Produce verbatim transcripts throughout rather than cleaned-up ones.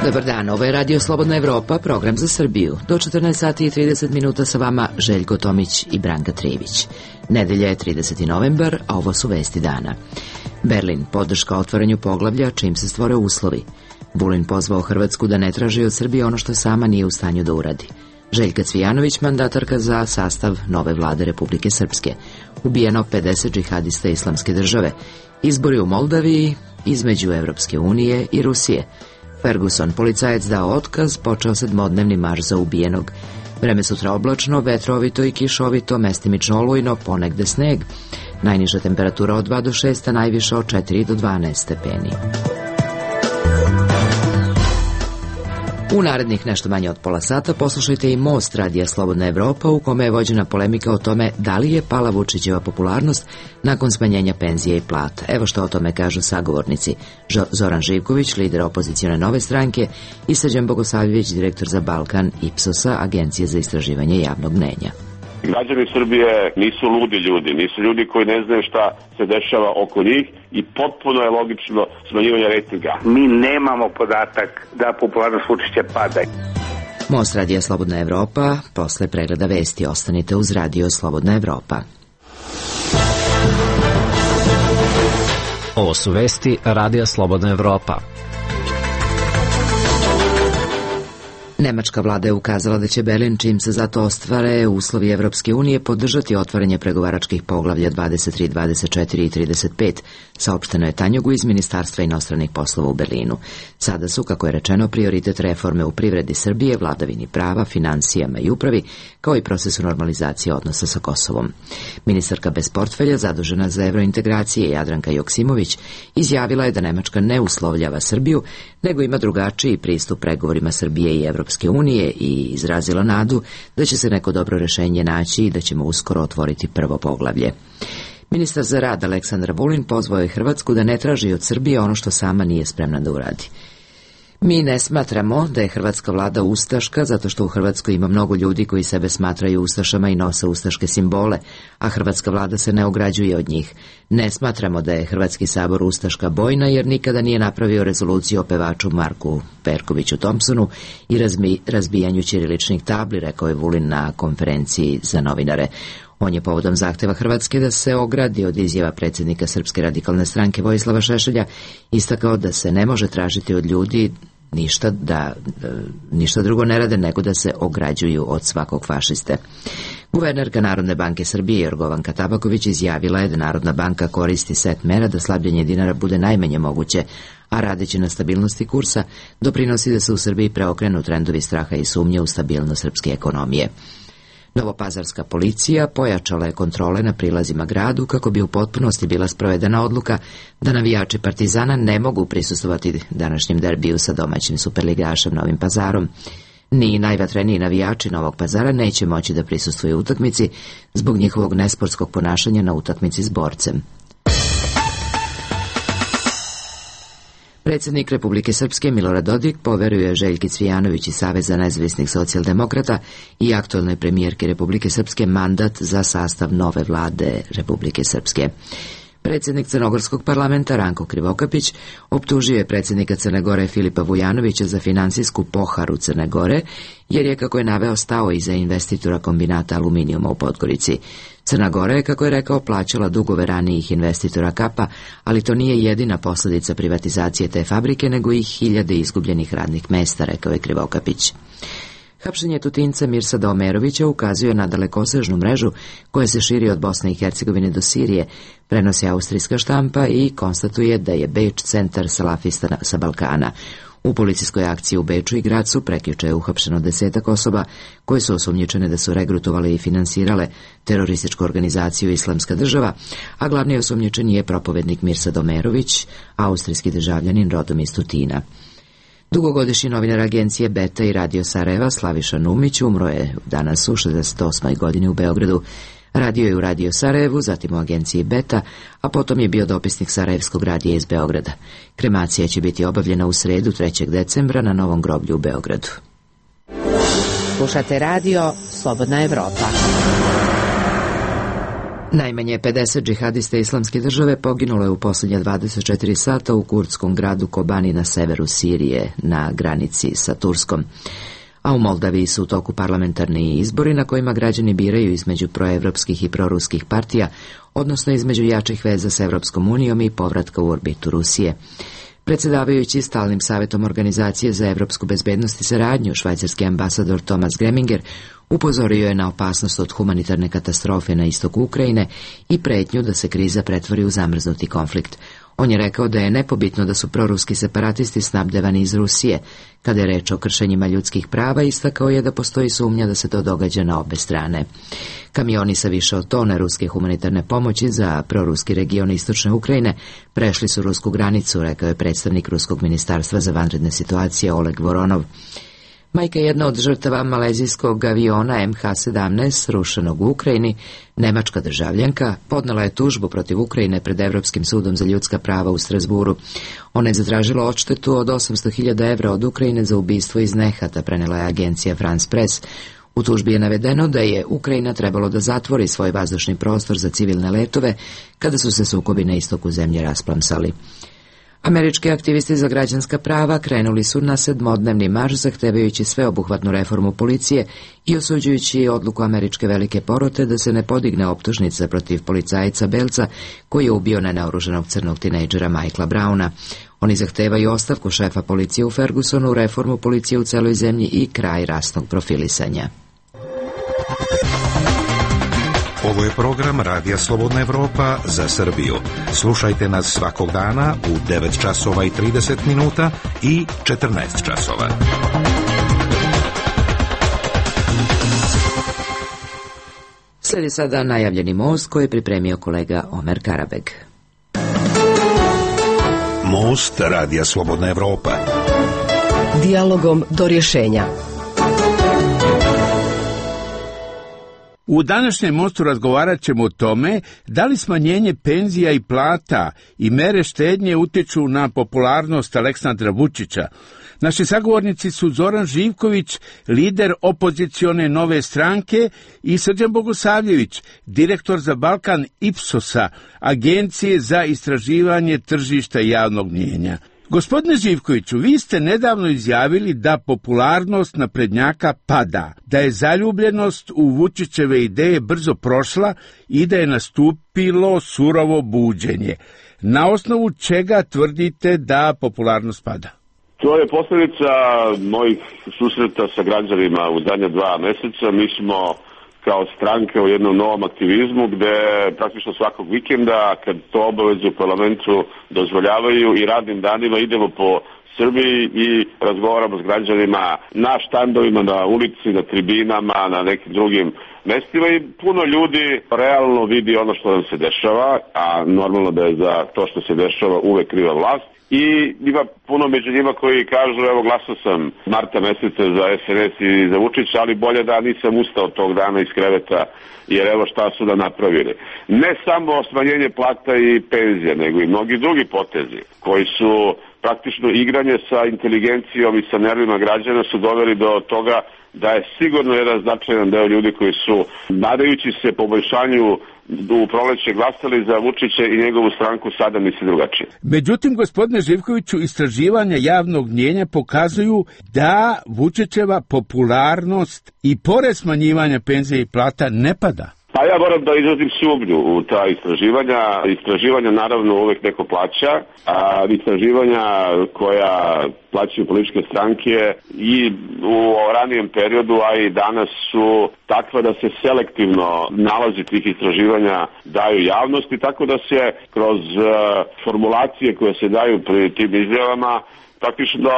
Dobar dan, ovo je Radio Slobodna Evropa, program za Srbiju. Do četrnaest sati i trideset minuta sa vama Željko Tomić i Branka Trijević. Nedelja je trideseti novembar, a ovo su vesti dana. Berlin, podrška otvaranju poglavlja čim se stvore uslovi. Vulin pozvao Hrvatsku da ne traži od Srbije ono što sama nije u stanju da uradi. Željka Cvijanović, mandatarka za sastav nove vlade Republike Srpske. Ubijeno pedeset džihadista Islamske države. Izbori u Moldaviji između Evropske unije i Rusije. Ferguson, policajac dao otkaz, počeo sedmodnevni marš za ubijenog. Vreme sutra oblačno, vetrovito i kišovito, mestimično olujno, ponegde sneg. Najniža temperatura od dva do šest, a najviša od četiri do dvanaest stepeni. U narednih nešto manje od pola sata poslušajte i Most Radija Slobodna Evropa, u kome je vođena polemika o tome da li je pala Vučićeva popularnost nakon smanjenja penzije i plata. Evo što o tome kažu sagovornici. Zoran Živković, lider opozicione Nove stranke, i Srđan Bogosavljević, direktor za Balkan Ipsosa, Agencije za istraživanje javnog mnenja. Građani Srbije nisu ludi ljudi, nisu ljudi koji ne znaju šta se dešava oko njih i potpuno je logično smanjivanje rejtinga. Mi nemamo podatak da popularnost Vučića pada. Most Radija Slobodna Evropa, posle pregleda vesti ostanite uz Radio Slobodna Evropa. Ovo su vesti Radija Slobodna Evropa. Nemačka vlada je ukazala da će Berlin, čim se zato ostvare uslovi Evropske unije, podržati otvaranje pregovaračkih poglavlja dvadeset tri, dvadeset četiri i trideset pet, saopšteno je Tanjugu iz Ministarstva inostranih poslova u Berlinu. Sada su, kako je rečeno, prioritet reforme u privredi Srbije, vladavini prava, finansijama i upravi, kao i procesu normalizacije odnosa sa Kosovom. Ministarka bez portfelja, zadužena za evrointegracije, Jadranka Joksimović, izjavila je da Nemačka ne uslovljava Srbiju, nego ima drugačiji pristup pregovorima Srbije i Evropske unije i izrazila nadu da će se neko dobro rešenje naći i da ćemo uskoro otvoriti prvo poglavlje. Ministar za rad Aleksandar Vulin pozvao je Hrvatsku da ne traži od Srbije ono što sama nije spremna da uradi. Mi ne smatramo da je hrvatska vlada ustaška zato što u Hrvatskoj ima mnogo ljudi koji sebe smatraju ustašama i nose ustaške simbole, a hrvatska vlada se ne ograđuje od njih. Ne smatramo da je Hrvatski sabor ustaška bojna jer nikada nije napravio rezoluciju o pevaču Marku Perkoviću Thompsonu i razmi, razbijanju ćiriličnih tabli, rekao je Vulin na konferenciji za novinare. On je povodom zahteva Hrvatske da se ogradi od izjava predsjednika Srpske radikalne stranke Vojislava Šešelja istakao da se ne može tražiti od ljudi ništa, da, ništa drugo ne rade nego da se ograđuju od svakog fašiste. Guvernerka Narodne banke Srbije Jorgovanka Tabaković izjavila je da Narodna banka koristi set mera da slabljenje dinara bude najmanje moguće, a radeći na stabilnosti kursa doprinosi da se u Srbiji preokrenu trendovi straha i sumnje u stabilnost srpske ekonomije. Novopazarska policija pojačala je kontrole na prilazima gradu kako bi u potpunosti bila sprovedena odluka da navijači Partizana ne mogu prisustvovati današnjem derbiju sa domaćim superligašem Novim Pazarom. Ni najvatreniji navijači Novog Pazara neće moći da prisustvuju utakmici zbog njihovog nesportskog ponašanja na utakmici s Borcem. Predsjednik Republike Srpske Milorad Dodik poveruje Željki Cvijanović iz Saveza nezavisnih socijaldemokrata i aktualnoj premijerki Republike Srpske mandat za sastav nove vlade Republike Srpske. Predsjednik Crnogorskog parlamenta Ranko Krivokapić optužio je predsjednika Crne Gore Filipa Vujanovića za finansijsku poharu Crne Gore, jer je, kako je naveo, stao iza investitora kombinata aluminijuma u Podgorici. Crna Gora je, kako je rekao, plaćala dugove ranijih investitora Kapa, ali to nije jedina posljedica privatizacije te fabrike, nego i hiljade izgubljenih radnih mesta, rekao je Krivokapić. Hapšenje Tutinca Mirsada Omerovića ukazuje na dalekosežnu mrežu koja se širi od Bosne i Hercegovine do Sirije, prenosi austrijska štampa i konstatuje da je Beč centar salafista sa Balkana. U policijskoj akciji u Beču i Gracu prekjuče je uhapšeno desetak osoba koje su osumnjičene da su regrutovale i finansirale terorističku organizaciju Islamska država, a glavni osumnjičeni je propovednik Mirsad Omerović, austrijski državljanin rodom iz Tutina. Dugogodišnji novinar agencije Beta i Radio Sarajeva Slaviša Numić umro je danas u šezdeset osmoj godini u Beogradu. Radio je u Radio Sarajevu, zatim u agenciji Beta, a potom je bio dopisnik Sarajevskog radija iz Beograda. Kremacija će biti obavljena u sredu trećeg decembra na Novom groblju u Beogradu. Slušate radio Slobodna Evropa. Najmanje pedeset džihadista Islamske države poginulo je u posljednja dvadeset četiri sata u kurdskom gradu Kobani na severu Sirije, na granici sa Turskom. A u Moldaviji su u toku parlamentarni izbori na kojima građani biraju između proevropskih i proruskih partija, odnosno između jačih veza s Evropskom unijom i povratka u orbitu Rusije. Predsjedavajući stalnim savjetom Organizacije za evropsku bezbednost i saradnju, švajcarski ambasador Thomas Greminger upozorio je na opasnost od humanitarne katastrofe na istoku Ukrajine i pretnju da se kriza pretvori u zamrznuti konflikt. On je rekao da je nepobitno da su proruski separatisti snabdevani iz Rusije. Kada je reč o kršenjima ljudskih prava, istakao je da postoji sumnja da se to događa na obe strane. Kamioni sa više od tone ruske humanitarne pomoći za proruski region istočne Ukrajine prešli su rusku granicu, rekao je predstavnik Ruskog ministarstva za vanredne situacije Oleg Voronov. Majka jedna od žrtava malezijskog aviona em ha sedamnaest srušenog u Ukrajini, nemačka državljanka, podnela je tužbu protiv Ukrajine pred Evropskim sudom za ljudska prava u Strasburu. Ona je zatražila odštetu od osamsto hiljada evra od Ukrajine za ubistvo iz nehata, prenela je agencija France Press. U tužbi je navedeno da je Ukrajina trebalo da zatvori svoj vazdušni prostor za civilne letove kada su se sukobi na istoku zemlje rasplamsali. Američki aktivisti za građanska prava krenuli su na sedmodnevni marš zahtevajući sveobuhvatnu reformu policije i osuđujući odluku američke velike porote da se ne podigne optužnica protiv policajca belca koji je ubio nenaoruženog crnog tinejdžera Michaela Browna. Oni zahtevaju ostavku šefa policije u Fergusonu, reformu policije u celoj zemlji i kraj rasnog profilisanja. Ovo je program Radija Slobodna Evropa za Srbiju. Slušajte nas svakog dana u devet časova i trideset minuta i četrnaest časova. Slijedi sada najavljeni most koji je pripremio kolega Omer Karabeg. Most Radija Slobodna Evropa. Dijalogom do rješenja. U današnjem mostu razgovarat ćemo o tome da li smanjenje penzija i plata i mere štednje utječu na popularnost Aleksandra Vučića. Naši sagovornici su Zoran Živković, lider opozicione Nove stranke, i Srđan Bogosavljević, direktor za Balkan Ipsosa, agencije za istraživanje tržišta javnog mnijenja. Gospodine Živkoviću, vi ste nedavno izjavili da popularnost naprednjaka pada, da je zaljubljenost u Vučićeve ideje brzo prošla i da je nastupilo surovo buđenje. Na osnovu čega tvrdite da popularnost pada? To je posljedica mojih susreta sa građanima u zadnja dva meseca. Mi smo kao stranke u jednom novom aktivizmu gde praktično svakog vikenda, kad to obaveze u parlamentu dozvoljavaju, i radnim danima idemo po Srbiji i razgovaramo s građanima na štandovima, na ulici, na tribinama, na nekim drugim mestima, i puno ljudi realno vidi ono što nam se dešava, a normalno da je za to što se dešava uvek kriva vlast. I ima puno među njima koji kažu, evo, glasao sam marta meseca za es en es i za Vučića, ali bolje da nisam ustao tog dana iz kreveta, jer evo šta su da napravili. Ne samo smanjenje plata i penzija, nego i mnogi drugi potezi koji su praktično igranje sa inteligencijom i sa nervima građana su doveli do toga da je sigurno jedan značajan deo ljudi koji su, nadajući se poboljšanju u proleće, glasali za Vučića i njegovu stranku, sada misli drugačije. Međutim, gospodine Živkoviću, istraživanja javnog mnijenja pokazuju da Vučićeva popularnost i pored smanjivanja penzija i plata ne pada. Pa ja moram da izrazim sumnju u ta istraživanja. Istraživanja naravno uvek neko plaća, a istraživanja koja plaćaju političke stranke i u ranijem periodu, a i danas, su takva da se selektivno nalazi tih istraživanja daju javnosti, tako da se kroz formulacije koje se daju pri tim izjavama praktično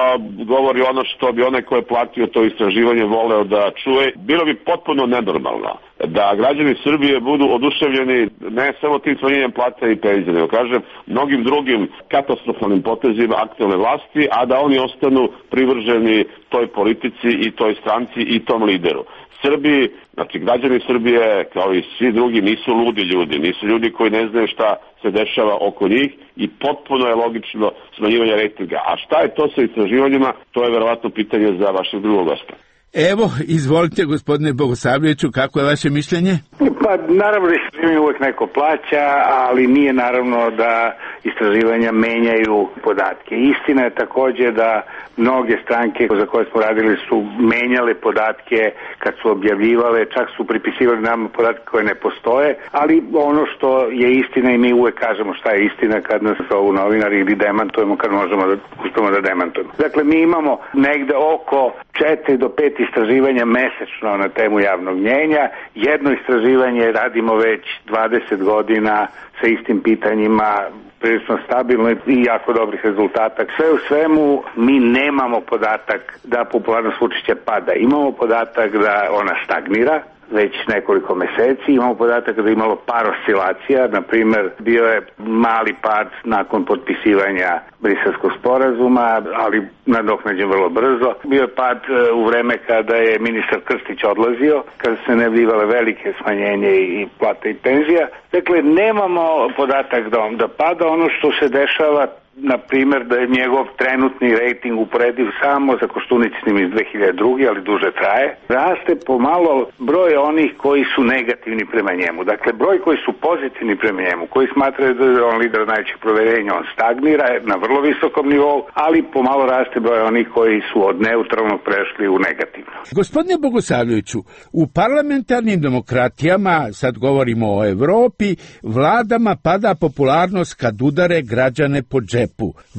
govori ono što bi onaj ko je platio to istraživanje voleo da čuje. Bilo bi potpuno nenormalno da građani Srbije budu oduševljeni ne samo tim smanjenjem plata i penzija, nego kažem mnogim drugim katastrofalnim potezima aktuelne vlasti, a da oni ostanu privrženi toj politici i toj stranci i tom lideru. Srbiji, znači građani Srbije, kao i svi drugi, nisu ludi ljudi, nisu ljudi koji ne znaju šta se dešava oko njih, i potpuno je logično smanjivanje rejtinga. A šta je to sa istraživanjima, to je verovatno pitanje za vašeg drugog gosta. Evo, izvolite gospodine Bogosavljeviću, kako je vaše mišljenje? Pa naravno istraživanje uvek neko plaća, ali nije naravno da istraživanja menjaju podatke. Istina je takođe da mnoge stranke za koje smo radili su menjale podatke kad su objavljivale, čak su pripisivali nam podatke koje ne postoje, ali ono što je istina i mi uvek kažemo šta je istina kad nas zovu novinari ili demantujemo kad možemo da uspemo da demantujemo. Dakle, mi imamo negde oko četiri do pet istraživanja mesečno na temu javnog mnjenja. Jedno istraživanje radimo već dvadeset godina sa istim pitanjima, prilično stabilno i jako dobrih rezultata. Sve u svemu mi nemamo podatak da popularnost Vučića pada. Imamo podatak da ona stagnira već nekoliko meseci. Imamo podatak da je imalo par oscilacija, na primer bio je mali pad nakon potpisivanja Briselskog sporazuma, ali nadoknađen vrlo brzo. Bio je pad u vreme kada je ministar Krstić odlazio, kada se najavljivale velike smanjenje i plata i penzija. Dakle, nemamo podatak da on da pada. Ono što se dešava, na primjer, da je njegov trenutni rejting uporediv samo sa Koštunicnim iz dve hiljade druge. ali duže traje. Raste pomalo broj onih koji su negativni prema njemu. Dakle, broj koji su pozitivni prema njemu, koji smatraju da je on lider najvećeg proverenja, on stagnira na vrlo visokom nivou, ali pomalo raste broj onih koji su od neutralnog prešli u negativno. Gospodine Bogosavljeviću, u parlamentarnim demokratijama, sad govorimo o Evropi, vladama pada popularnost kad udare građane po džepu.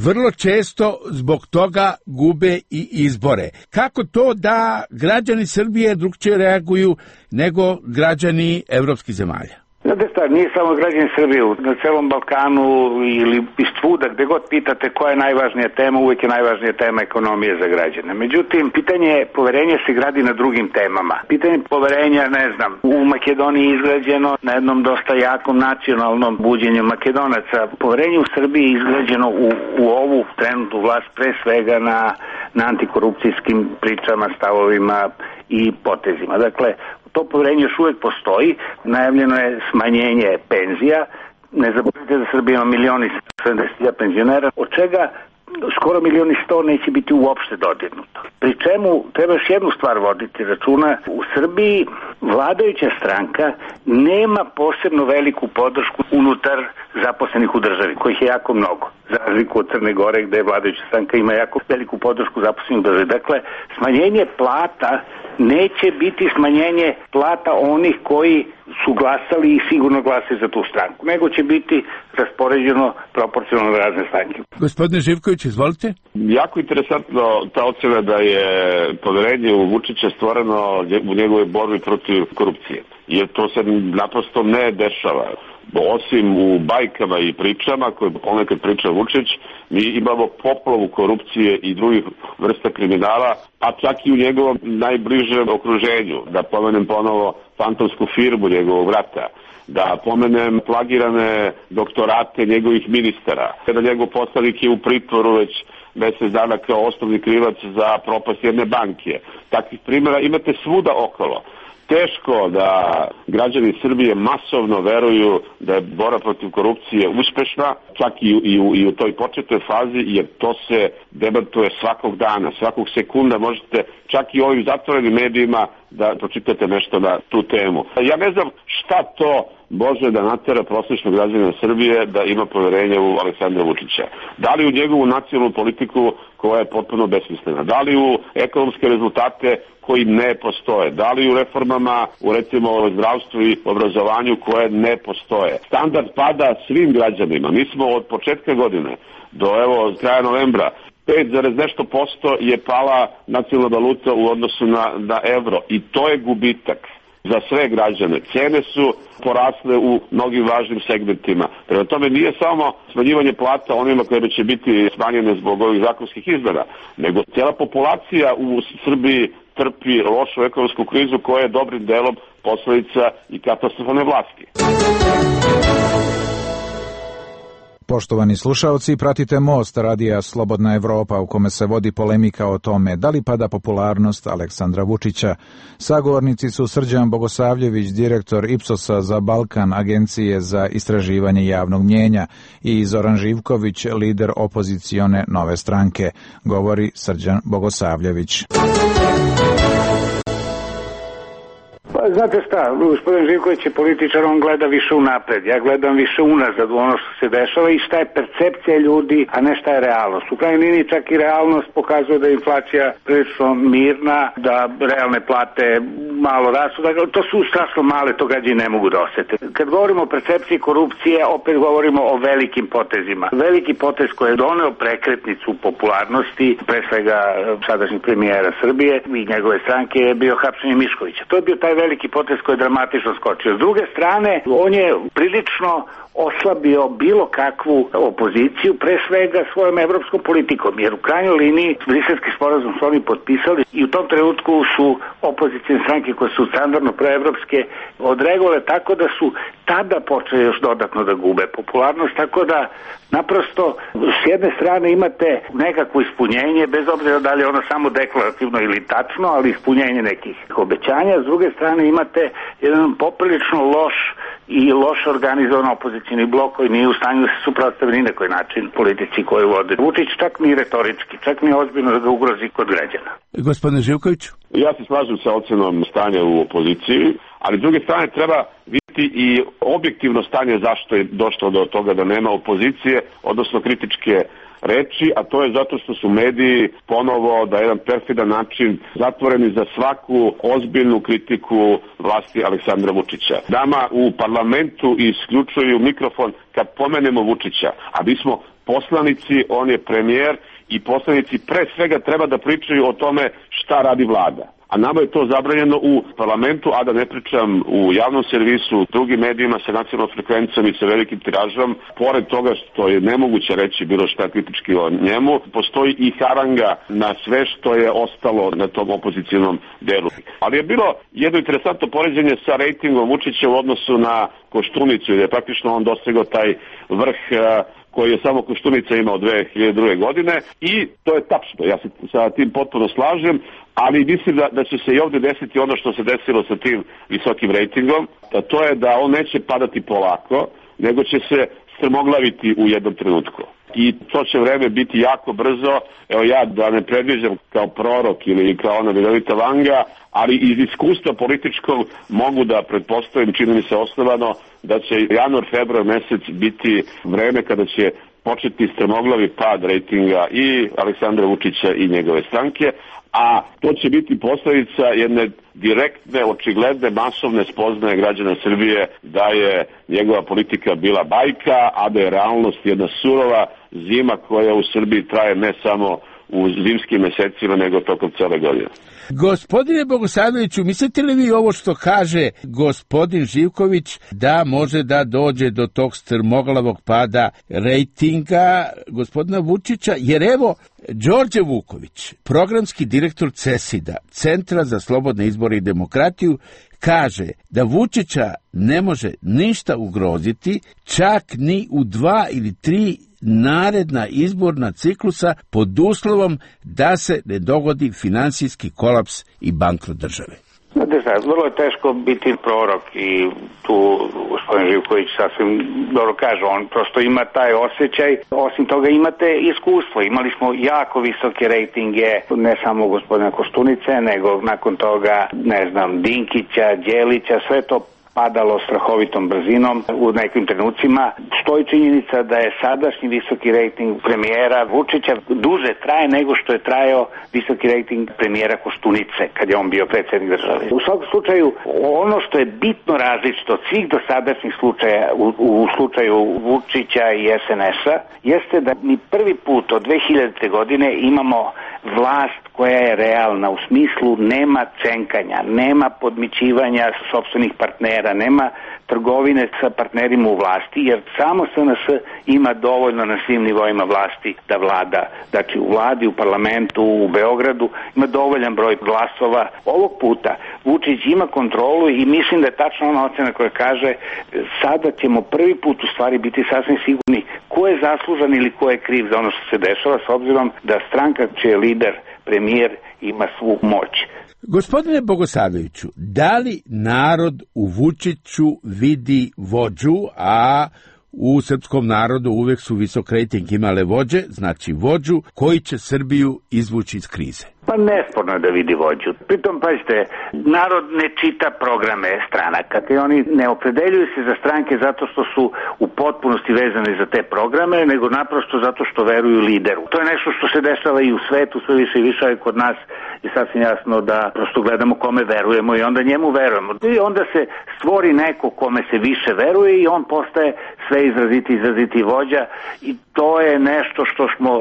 Vrlo često zbog toga gube i izbore. Kako to da građani Srbije drugčije reaguju nego građani evropskih zemalja? Znate šta, nije samo građani Srbije, na celom Balkanu ili iz svuda, gde god pitate koja je najvažnija tema, uvijek je najvažnija tema ekonomije za građane. Međutim, pitanje poverenja se gradi na drugim temama. Pitanje poverenja, ne znam, u Makedoniji je izgrađeno na jednom dosta jakom nacionalnom buđenju Makedonaca. Poverenje u Srbiji je izgrađeno u, u ovu trenutnu vlast pre svega na, na antikorupcijskim pričama, stavovima i potezima. Dakle, to poverenje još uvijek postoji, najavljeno je smanjenje penzija, ne zaboravite da Srbija ima milion i sedamdeset hiljada penzionera, od čega skoro milion i sto neće biti uopšte dodirnuto. Pri čemu treba još jednu stvar voditi računa, u Srbiji vladajuća stranka nema posebno veliku podršku unutar zaposlenih u državi, kojih je jako mnogo, za razliku od Crne Gore gde vladajuća stranka ima jako veliku podršku zaposlenih u državi. Dakle, smanjenje plata neće biti smanjenje plata onih koji su glasali i sigurno glasaju za tu stranku, nego će biti raspoređeno proporcionalno na razne stranke. Gospodine Živković, izvolite. Jako interesantno ta ocena da je poverenje u Vučića stvoreno u njegove borbi protiv korupcije, jer to se naprosto ne dešava. Osim u bajkama i pričama koje ponekad priča Vučić, mi imamo poplavu korupcije i drugih vrsta kriminala, a čak i u njegovom najbližem okruženju. Da pomenem ponovo fantomsku firmu njegovog brata, da pomenem plagirane doktorate njegovih ministara, da njegov poslanik je u pritvoru već mesec dana kao osnovni krivac za propast jedne banke. Takvih primjera imate svuda okolo. Teško da građani Srbije masovno veruju da je borba protiv korupcije uspešna, čak i, i, u, i u toj početnoj fazi, jer to se demantuje svakog dana, svakog sekunda možete čak i u ovim zatvorenim medijima da pročitate nešto na tu temu. Ja ne znam šta to može da natera prosječnog građanina Srbije da ima poverenje u Aleksandra Vučića. Da li u njegovu nacionalnu politiku koja je potpuno besmislena, da li u ekonomske rezultate koji ne postoje, da li u reformama u recimo zdravstvu i obrazovanju koje ne postoje. Standard pada svim građanima. Mi smo od početka godine do evo kraja novembra pet zarez nešto posto je pala nacionalna valuta u odnosu na, na evro i to je gubitak za sve građane. Cene su porasle u mnogim važnim segmentima. Prema tome nije samo smanjivanje plata onima koje će biti smanjene zbog ovih zakonskih izmena, nego cijela populacija u Srbiji trpi lošu ekonomsku krizu koja je dobrim delom posledica i katastrofalne vlasti. Poštovani slušaoci, pratite Most radija Slobodna Evropa u kome se vodi polemika o tome da li pada popularnost Aleksandra Vučića. Sagovornici su Srđan Bogosavljević, direktor Ipsosa za Balkan, agencije za istraživanje javnog mnjenja, i Zoran Živković, lider opozicione Nove stranke. Govori Srđan Bogosavljević. Pa, znate šta, gospodin Živković je političar, on gleda više unapred, ja gledam više unazad u ono što se dešava i šta je percepcija ljudi, a ne šta je realnost. U krajnjoj liniji čak i realnost pokazuje da je inflacija prilično mirna, da realne plate malo rastu, dakle, to su strašno male, to građani ne mogu da osete. Kad govorimo o percepciji korupcije, opet govorimo o velikim potezima. Veliki potez koji je doneo prekretnicu popularnosti, pre svega sadašnjeg premijera Srbije i njegove stranke, je bio hapšenje Miškovića. To je bio taj veliki potez koji je dramatično skočio. S druge strane, on je prilično oslabio bilo kakvu opoziciju, pre svega svojom evropskom politikom, jer u krajnjoj liniji Briselski sporazum su oni potpisali i u tom trenutku su opozicijne stranke koje su standardno proevropske odreagovale tako da su tada počeli još dodatno da gube popularnost, tako da naprosto s jedne strane imate nekakvo ispunjenje, bez obzira da li je ono samo deklarativno ili tačno, ali ispunjenje nekih obećanja, s druge strane imate jedan poprilično loš i loše organizovan opozicijni blok koji nije u stanju da se suprotstavi ni na koji način politici koju vode Vučić, čak ni retorički, čak ni ozbiljno da ga ugrozi kod građana. Gospodine Živkoviću? Ja se slažem sa ocenom stanja u opoziciji, ali s druge strane treba vidjeti i objektivno stanje zašto je došlo do toga da nema opozicije, odnosno kritičke reči, a to je zato što su mediji ponovo da jedan perfidan način zatvoreni za svaku ozbiljnu kritiku vlasti Aleksandra Vučića. Nama u parlamentu isključuju mikrofon kad pomenemo Vučića, a mi smo poslanici, on je premijer i poslanici pre svega treba da pričaju o tome šta radi vlada. A nama je to zabranjeno u parlamentu, a da ne pričam u javnom servisu, drugim medijima sa nacionalnom frekvencijom i sa velikim tiražom. Pored toga što je nemoguće reći bilo šta kritički o njemu, postoji i haranga na sve što je ostalo na tom opozicijalnom delu. Ali je bilo jedno interesantno poređenje sa rejtingom Vučića u odnosu na Koštunicu, jer je praktično on dosegao taj vrh koji je samo Koštunica imao dve hiljade druge. godine i to je tačno, ja se sa tim potpuno slažem, ali mislim da, da će se i ovdje desiti ono što se desilo sa tim visokim rejtingom, a to je da on neće padati polako, nego će se strmoglaviti u jednom trenutku. I to će vreme biti jako brzo, evo ja da ne predviđam kao prorok ili kao ona vidovita Vanga, ali iz iskustva političkog mogu da pretpostavim, čini mi se osnovano, da će januar, februar mesec biti vreme kada će početi strmoglavi pad rejtinga i Aleksandra Vučića i njegove stranke, a to će biti posljedica jedne direktne, očigledne, masovne spoznaje građana Srbije da je njegova politika bila bajka, a da je realnost jedna surova zima koja u Srbiji traje ne samo u zimskim mesecima, nego tokom cele godine. Gospodine Bogosavljeviću, mislite li vi ovo što kaže gospodin Živković da može da dođe do tog strmoglavog pada rejtinga gospodina Vučića? Jer evo, Đorđe Vuković, programski direktor CESID-a, Centra za slobodne izbore i demokratiju, kaže da Vučića ne može ništa ugroziti, čak ni u dva ili tri naredna izborna ciklusa pod uslovom da se ne dogodi finansijski kolaps i bankrot države. Znate šta, vrlo je teško biti prorok i tu gospodin Živković sasvim dobro kaže, on prosto ima taj osjećaj, osim toga imate iskustvo, imali smo jako visoke rejtinge, ne samo gospodina Koštunice, nego nakon toga, ne znam, Dinkića, Đelića, sve to padalo strahovitom brzinom u nekim trenucima. Stoji činjenica da je sadašnji visoki rejting premijera Vučića duže traje nego što je trajao visoki rejting premijera Koštunice kad je on bio predsjednik države. U svakom slučaju, ono što je bitno različito od svih dosadašnjih slučaja u, u slučaju Vučića i es en es-a jeste da mi prvi put od dve hiljadite. godine imamo vlast koja je realna, u smislu nema cenkanja, nema podmićivanja sopstvenih partnera, nema trgovine sa partnerima u vlasti, jer samo es en es ima dovoljno na svim nivoima vlasti da vlada. Znači u vladi, u parlamentu, u Beogradu ima dovoljan broj glasova. Ovog puta Vučić ima kontrolu i mislim da je tačno ona ocena koja kaže sada ćemo prvi put u stvari biti sasvim sigurni ko je zaslužan ili ko je kriv za ono što se dešava, s obzirom da stranka čiji je lider premijer ima svu moć. Gospodine Bogosavljeviću, da li narod u Vučiću vidi vođu, a u srpskom narodu uvek su visok rejting imale vođe, znači vođu koji će Srbiju izvući iz krize? Pa nesporno je da vidi vođu. Pritom, pazite, narod ne čita programe stranaka i oni ne opredeljuju se za stranke zato što su u potpunosti vezani za te programe, nego naprosto zato što veruju lideru. To je nešto što se dešava i u svetu, sve više i više, i kod nas je sasvim jasno da prosto gledamo kome verujemo i onda njemu verujemo. I onda se stvori neko kome se više veruje i on postaje sve izraziti izraziti vođa i to je nešto što smo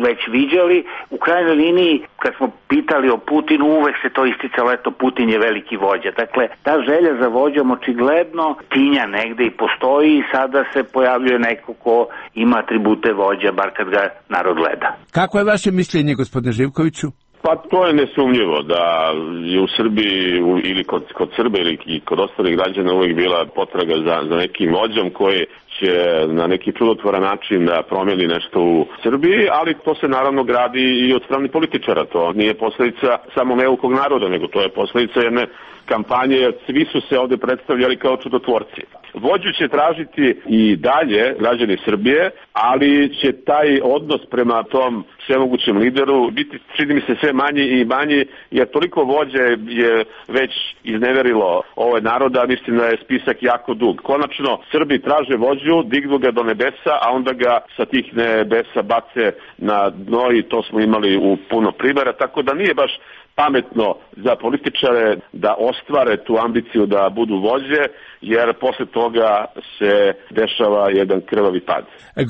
već viđali. U krajnjoj liniji, kad smo pitali o Putinu, uvek se to isticalo, eto, Putin je veliki vođa. Dakle, ta želja za vođom očigledno tinja negde i postoji i sada se pojavljuje neko ko ima atribute vođa, bar kad ga narod gleda. Kako je vaše mišljenje, gospodine Živkoviću? Pa to je nesumnjivo da je u Srbiji ili kod, kod Srbe ili kod ostalih građana uvijek bila potraga za, za nekim vođom koji će na neki čudotvoran način da promijeni nešto u Srbiji, ali to se naravno gradi i od strane političara. To nije posledica samo neukog naroda, nego to je posledica jedne kampanje, jer svi su se ovde predstavljali kao čudotvorci. Vođu će tražiti i dalje građani Srbije, ali će taj odnos prema tom svemogućem lideru biti, čini mi se, sve manji i manji, jer toliko vođe je već izneverilo ovaj naroda, mislim da je spisak jako dug. Konačno, Srbi traže vođu, dignu ga do nebesa, a onda ga sa tih nebesa bace na dno i to smo imali u puno primjera, tako da nije baš pametno za političare da ostvare tu ambiciju da budu vođe, jer posle toga se dešava jedan krvavi pad.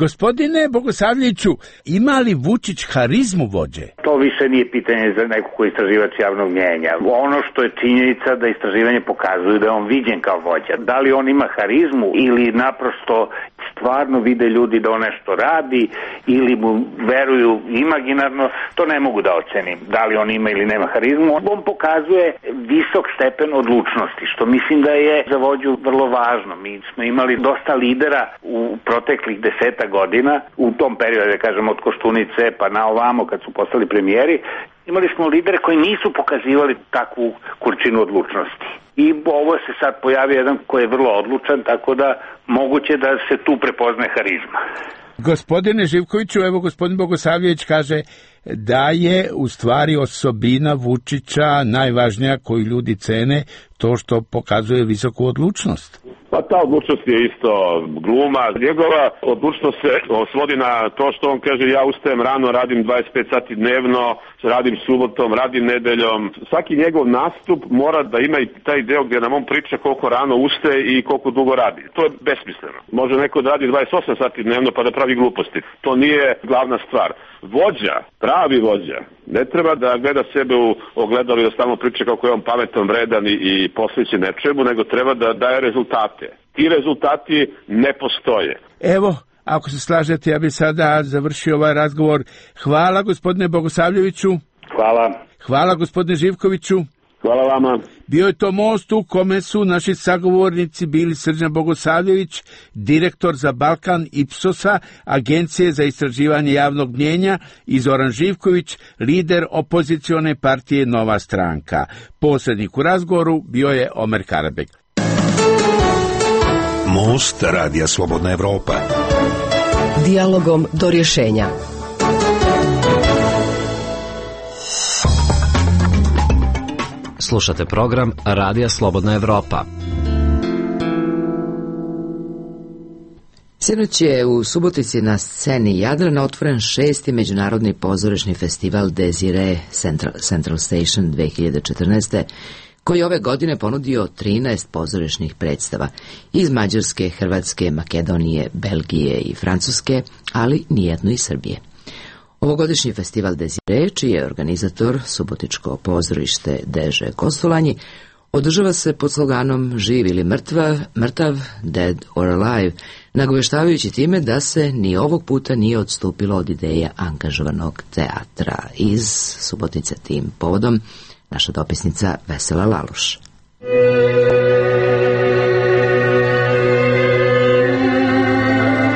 Gospodine Bogosavljeviću, ima li Vučić harizmu vođe? To više nije pitanje za nekog koji je istraživač javnog mnjenja. Ono što je činjenica da istraživanje pokazuju da je on viđen kao vođa. Da li on ima harizmu ili naprosto stvarno vide ljudi da on nešto radi ili mu veruju imaginarno, to ne mogu da ocenim. Da li on ima ili nema harizmu. On pokazuje visok stepen odlučnosti, što mislim da je za vođu vrlo važno. Mi smo imali dosta lidera u proteklih deseta godina, u tom periodu, da kažem, od Koštunice pa na ovamo kad su postali premijeri, imali smo lidere koji nisu pokazivali takvu količinu odlučnosti. I ovo se sad pojavi jedan koji je vrlo odlučan, tako da moguće da se tu prepozne harizma. Gospodine Živkoviću, evo gospodin Bogosavljević kaže da je u stvari osobina Vučića najvažnija koju ljudi cene, to što pokazuje visoku odlučnost. Pa ta odlučnost je isto gluma. Njegova odlučnost se svodi na to što on kaže: ja ustajem rano, radim dvadeset pet sati dnevno, radim subotom, radim nedeljom. Svaki njegov nastup mora da ima i taj deo gdje nam on priča koliko rano ustaje i koliko dugo radi. To je besmisleno. Može neko da radi dvadeset osam sati dnevno pa da pravi gluposti. To nije glavna stvar. Vođa, pravi vođa, ne treba da gleda sebe u ogledalu i da stalno priča kako je on pametan, vredan i, i posvećen nečemu, nego treba da daje rezultate. Ti rezultati ne postoje. Evo, ako se slažete, ja bih sada završio ovaj razgovor. Hvala gospodine Bogosavljeviću. Hvala. Hvala gospodine Živkoviću. Hvala vama. Bio je to most u kome su naši sagovornici bili Srđan Bogosavljević, direktor za Balkan Ipsosa, Agencije za istraživanje javnog mnjenja, i Zoran Živković, lider opozicione partije Nova stranka. Posrednik u razgovoru bio je Omer Karabek. Most Radija Slobodna Evropa. Dijalogom do rješenja. Slušate program Radija Slobodna Evropa. Sinoć je u Subotici na sceni Jadrana otvoren šesti međunarodni pozorišni festival Desire Central, Central Station dve hiljade četrnaeste. koji ove godine ponudio trinaest pozorišnih predstava iz Mađarske, Hrvatske, Makedonije, Belgije i Francuske, ali nijedno iz Srbije. Ovogodišnji festival Desire, čiji je organizator Subotičko pozorište Deže Kostolanji, održava se pod sloganom Živ ili mrtva, mrtav, dead or alive, nagoveštavajući time da se ni ovog puta nije odstupilo od ideja angažovanog teatra. Iz Subotice tim povodom naša dopisnica Vesela Laloš.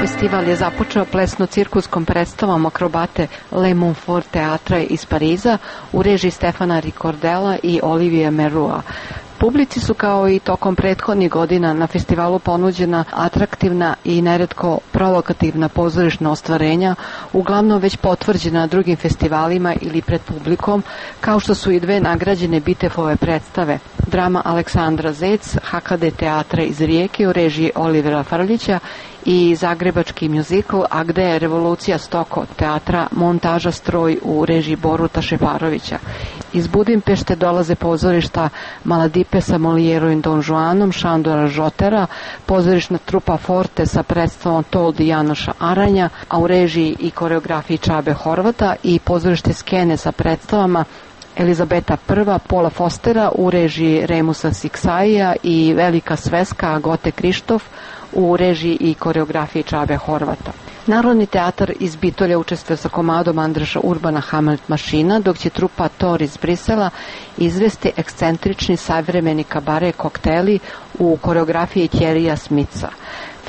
Festival je započeo plesno-cirkuskom predstavom akrobate Le Montfort teatra iz Pariza u režiji Stefana Ricordella i Olivier Merua. Publici su kao i tokom prethodnih godina na festivalu ponuđena atraktivna i neretko provokativna pozorišna ostvarenja, uglavnom već potvrđena na drugim festivalima ili pred publikom, kao što su i dve nagrađene Bitefove predstave, drama Aleksandra Zec, H K D teatra iz Rijeke u režiji Olivera Frljića i zagrebački mjuzikl A gde je revolucija Stoko teatra Montaža stroj u režiji Boruta Šeparovića. Iz Budimpešte dolaze pozorišta Maladipe sa Molijerovim Don Juanom Šandora Žotera, pozorišna trupa Forte sa predstavom Toldi Janoša Aranja, a u režiji i koreografiji Čabe Horvata, i pozorište Skene sa predstavama Elizabeta I, Pola Fostera u režiji Remusa Siksaija i Velika sveska Gote Krištof u režiji i koreografiji Čabe Horvata. Narodni teatar iz Bitolja učestvuje sa komadom Andreša Urbana Hamlet mašina, dok će trupa Tor iz Brisela izvesti ekscentrični savremeni kabare kokteli u koreografiji Thierrya Smitha.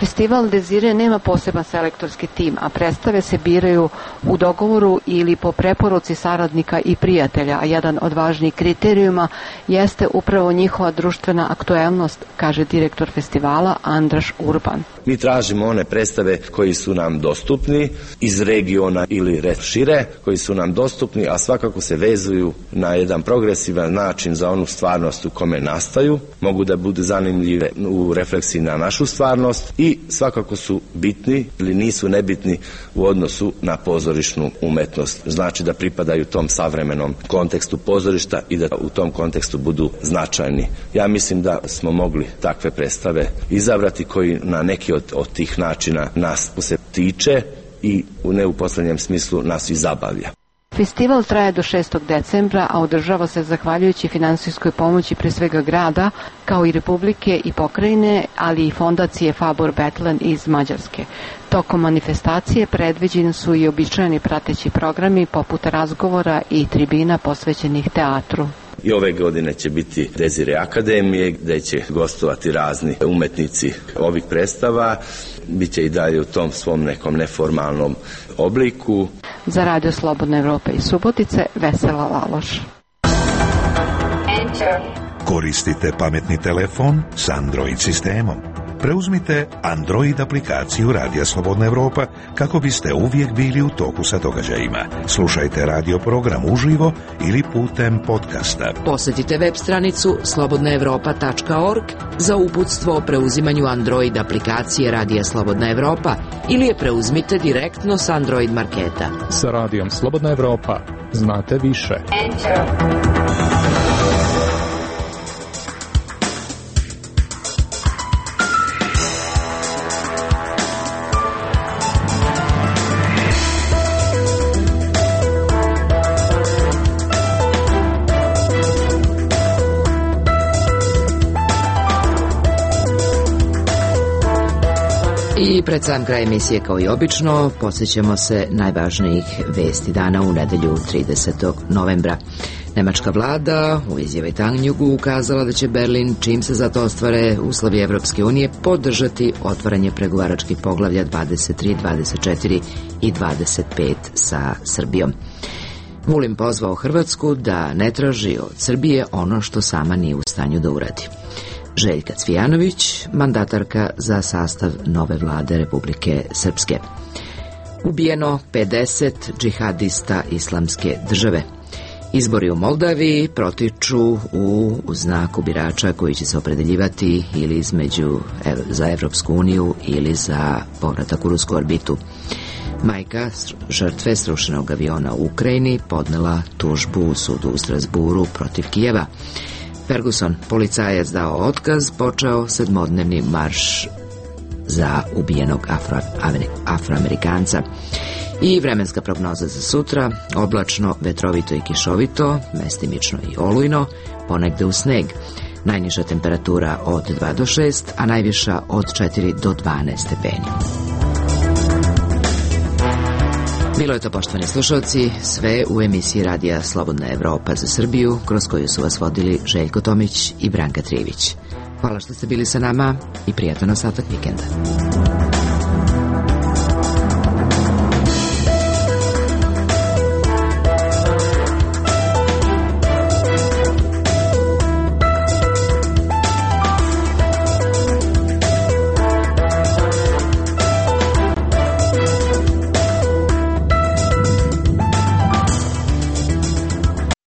Festival Desire nema poseban selektorski tim, a predstave se biraju u dogovoru ili po preporuci saradnika i prijatelja, a jedan od važnijih kriterijuma jeste upravo njihova društvena aktuelnost, kaže direktor festivala Andraš Urban. Mi tražimo one predstave koji su nam dostupni iz regiona ili šire, koji su nam dostupni, a svakako se vezuju na jedan progresivan način za onu stvarnost u kome nastaju, mogu da budu zanimljive u refleksiji na našu stvarnost i svakako su bitni ili nisu nebitni u odnosu na pozorišnu umetnost. Znači da pripadaju tom savremenom kontekstu pozorišta i da u tom kontekstu budu značajni. Ja mislim da smo mogli takve predstave izabrati koji na neki od, od tih načina nas se tiče i u ne u poslednjem smislu nas i zabavlja. Festival traje do šestog decembra, a održava se zahvaljujući finansijskoj pomoći pre svega grada, kao i Republike i pokrajine, ali i fondacije Fabor Betlen iz Mađarske. Tokom manifestacije predviđeni su i običajni prateći programi poput razgovora i tribina posvećenih teatru. I ove godine će biti Desire Akademije, gde će gostovati razni umetnici ovih predstava. Biće i dalje u tom svom nekom neformalnom obliku. Za Radio Slobodna Evropa iz Subotice, Vesela Laloš. Koristite pametni telefon s Android sistemom. Preuzmite Android aplikaciju Radija Slobodna Evropa kako biste uvijek bili u toku sa događajima. Slušajte radio program uživo ili putem podcasta. Posjetite web stranicu slobodna evropa tačka org za uputstvo o preuzimanju Android aplikacije Radija Slobodna Evropa ili je preuzmite direktno s Android marketa. Sa Radijom Slobodna Evropa znate više. Enter. I pred sam kraj emisije, kao i obično, podsjećamo se najvažnijih vesti dana u nedelju tridesetog novembra. Nemačka vlada u izjavi Tangnjugu ukazala da će Berlin, čim se za to ostvare uslovi Evropske unije, podržati otvaranje pregovaračkih poglavlja dvadeset tri, dvadeset četiri i dvadeset pet sa Srbijom. Vulin pozvao Hrvatsku da ne traži od Srbije ono što sama nije u stanju da uradi. Željka Cvijanović, mandatarka za sastav nove vlade Republike Srpske. Ubijeno pedeset džihadista islamske države. Izbori u Moldaviji protiču u znaku birača koji će se opredeljivati ili između za Evropsku uniju ili za povratak u rusku orbitu. Majka žrtve srušenog aviona u Ukrajini podnela tužbu u sudu u Strasburu protiv Kijeva. Ferguson, policajac dao otkaz, počeo sedmodnevni marš za ubijenog Afro, Afroamerikanca. I vremenska prognoza za sutra: oblačno, vetrovito i kišovito, mestimično i olujno, ponegde u sneg. Najniža temperatura od dva do šest, a najviša od četiri do dvanaest stepeni. Bilo je to, poštovani slušalci, sve u emisiji Radija Slobodna Evropa za Srbiju, kroz koju su vas vodili Željko Tomić i Branka Trivić. Hvala što ste bili sa nama i prijatan ostatak vikenda.